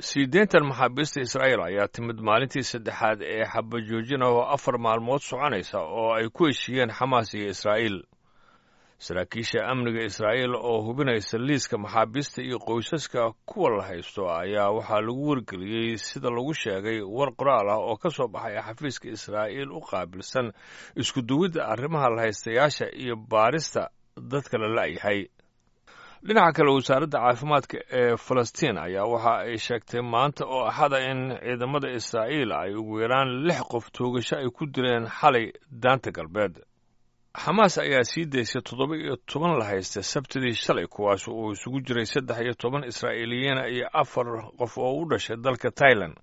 Sii deyntan maxaabiista Israa'iil ayaa timid maalintii saddexaad ee xabajoojin ah oo 4 maalmood soconaysa oo ay ku heshiiyeen Xamaas iyo Israa'iil. Saraakiisha amniga Israa'iil oo hubinaysa liiska maxaabiista iyo qoysaska kuwa la haysto ayaa waxaa lagu wargeliyey, sida lagu sheegay war qoraal ah oo ka soo baxay xafiiska Israa'iil u qaabilsan isku duwidda arrimaha la haystayaasha iyo baarista dadka la la'yahay. Dhinaca kale, wasaaradda caafimaadka ee Falastiin ayaa waxa ay sheegtay maanta oo Axada in ciidamada Israa'iil ay ugu yaraan lix qof toogasho ay ku dileen xalay Daanta Galbeed. Xamaas ayaa sii daysay 17 la haysta Sabtidii shalay, kuwaas uu isugu jiray 13 Israa'iiliyiina iyo afar qof oo u dhashay dalka Tailan.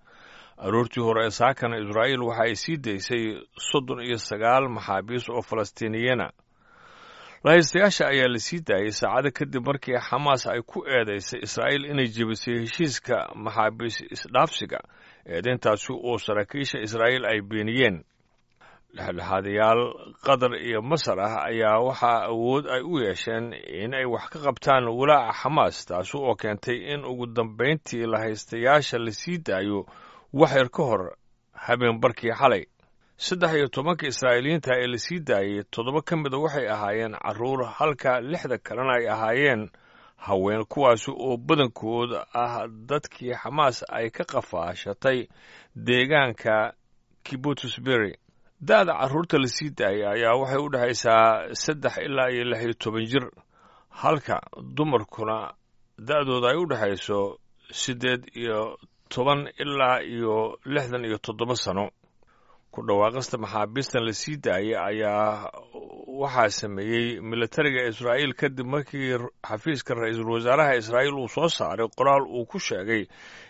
Aroortii hore ee saakana Israa'iil waxa ay sii daysay 39 maxaabiis oo Falastiiniyiina. Lahaystayaasha ayaa la sii daayay saacado kadib markii Xamaas ay ku eedaysay Israa'iil inay jebisay heshiiska maxaabiis isdhaafsiga, eedayntaasi oo saraakiisha Israa'iil ay beeniyeen. Dhexdhexaadayaal Qatar iyo Masar ah ayaa waxaa awood ay u yeesheen in ay wax ka qabtaan walaaca Xamaas, taasi oo keentay in ugu dambayntii lahaystayaasha la sii daayo wax yar ka hor habeen barkii xalay. 13-ka Israa'iiliyiinta ee la sii daayey, toddoba ka mida waxay ahaayeen carruur, halka lixda kalena ay ahaayeen haween, kuwaasi oo badankood ah dadkii Xamaas ay ka qafaashatay deegaanka Kibutusbury. Da'da carruurta la sii daayay ayaa waxay u dhexaysaa 3 ilaa iyo 16 jir, halka dumarkuna da'dooda ay u dhexayso 18 ilaa iyo 67 sano. Ku dhawaaqista maxaabiistan la sii daayay ayaa waxaa sameeyey militariga Israa'iil kadib markii xafiiska ra-iisul wasaaraha Israa'iil uu soo saaray qoraal uu ku sheegay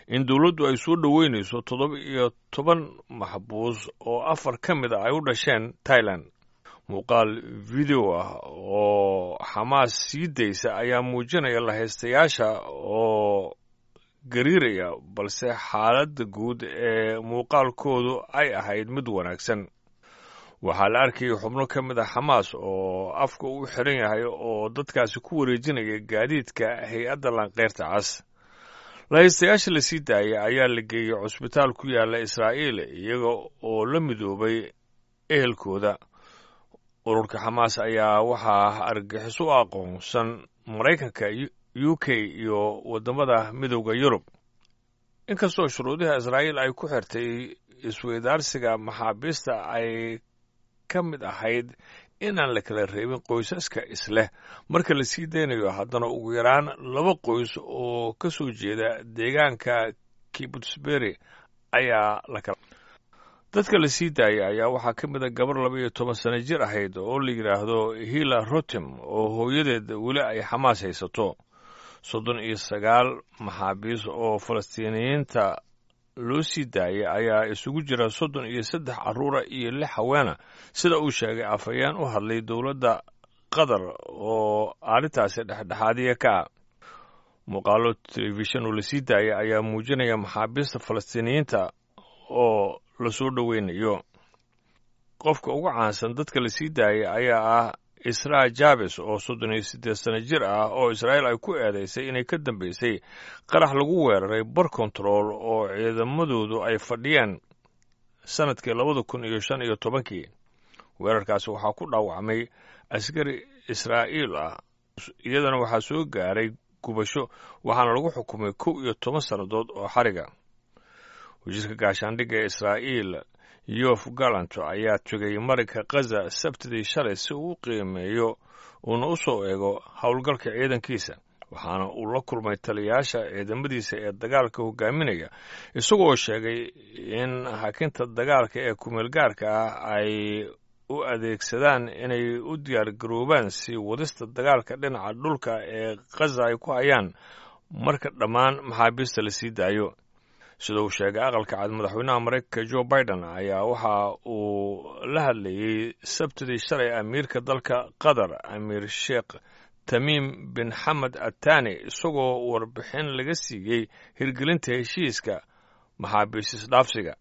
in dowladdu ay soo dhoweynayso 17 maxbuus oo afar ka mid a ay u dhasheen Tailand. Muuqaal video ah oo Xamaas sii daysa ayaa muujinaya lahaystayaasha oo gariiraya, balse xaaladda guud ee muuqaalkoodu ay ahayd mid wanaagsan. Waxaa la arkayay xubno ka mid ah Xamaas oo afka u xiran yahay oo dadkaasi ku wareejinaya gaadiidka hay-adda Lanqeyrta Cas. Lahaystayaasha la sii daayay ayaa la geeyey cusbitaal ku yaala Israa'iil, iyaga oo la midoobay ehelkooda. Ururka Xamaas ayaa waxaa argagixiso u aqoonsan Maraykanka, UK iyo waddamada Midowda Yurub. Inkastoo shuruudaha Israa'iil ay ku xirtay isweydaarsiga maxaabiista ay ka mid ahayd inaan la kala reebin qoysaska isleh marka la sii daynayo, haddana ugu yaraan laba qoys oo ka soo jeeda deegaanka Kibutsbury ayaa la kala. Dadka la sii daayay ayaa waxaa ka mid a gabar 12 sano jir ahayd oo la yidhaahdo Hila Rotem oo hooyadeed weli ay Xamaas haysato. 39 maxaabiis oo Falastiiniyiinta loo sii daayay ayaa isugu jira 33 carruura iyo lix haweena, sida uu sheegay afhayeen u hadlay dowladda Qatar oo arrintaasi dhexdhexaadiya ka ah. Muuqaalo telefishin oo lasii daayay ayaa muujinaya maxaabiista Falastiiniyiinta oo lasoo dhoweynayo. Qofka ugu caansan dadka lasii daayay ayaa ah Israa Jabes oo 38 sano jir ah oo Israa'iil ay ku eedaysay inay ka dambeysay qarax lagu weeraray bar kontarool oo ciidamadoodu ay fadhiyeen sanadkii 2015-kii. Weerarkaasi waxaa ku dhaawacmay askari Israa'iil ah, iyadana waxaa soo gaaray gubasho, waxaana lagu xukumay 11 sannadood oo xariga. Wasiirka gaashaandhigga ee Israa'iil Yoav Gallant ayaa tegay marinka Khaza Sabtidii shalay si uu u qiimeeyo uuna u soo eego howlgalka ciidankiisa, waxaana uu la kulmay taliyayaasha ciidamadiisa ee dagaalka hogaaminaya, isagoo sheegay in hakinta dagaalka ee kumeelgaarka ah ay u adeegsadaan inay u diyaargaroobaan sii wadista dagaalka dhinaca dhulka ee Khaza ay ku hayaan marka dhammaan maxaabiista la sii daayo. Sida uu sheegay Aqalka Cad, madaxweynaha Maraykanka Joe Biden ayaa waxa uu la hadlayey Sabtidii shalay amiirka dalka Qatar, Amiir Sheekh Tamiim bin Xamed Atani, isagoo warbixin laga siiyey hirgelinta heshiiska maxaabiis isdhaafsiga.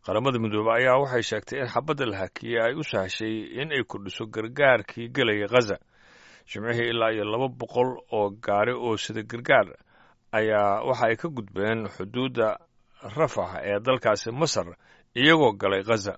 Qaramada Midoobey ayaa waxay sheegtay in xabadda la hakiyey ay u sahashay in ay kordhiso gargaarkii gelaya Khaza. Jimcihii, ilaa iyo 200 oo gaari oo sida gargaar ayaa waxa ay ka gudbeen xuduudda Rafax ee dalkaasi Masar, iyagoo galay Khaza.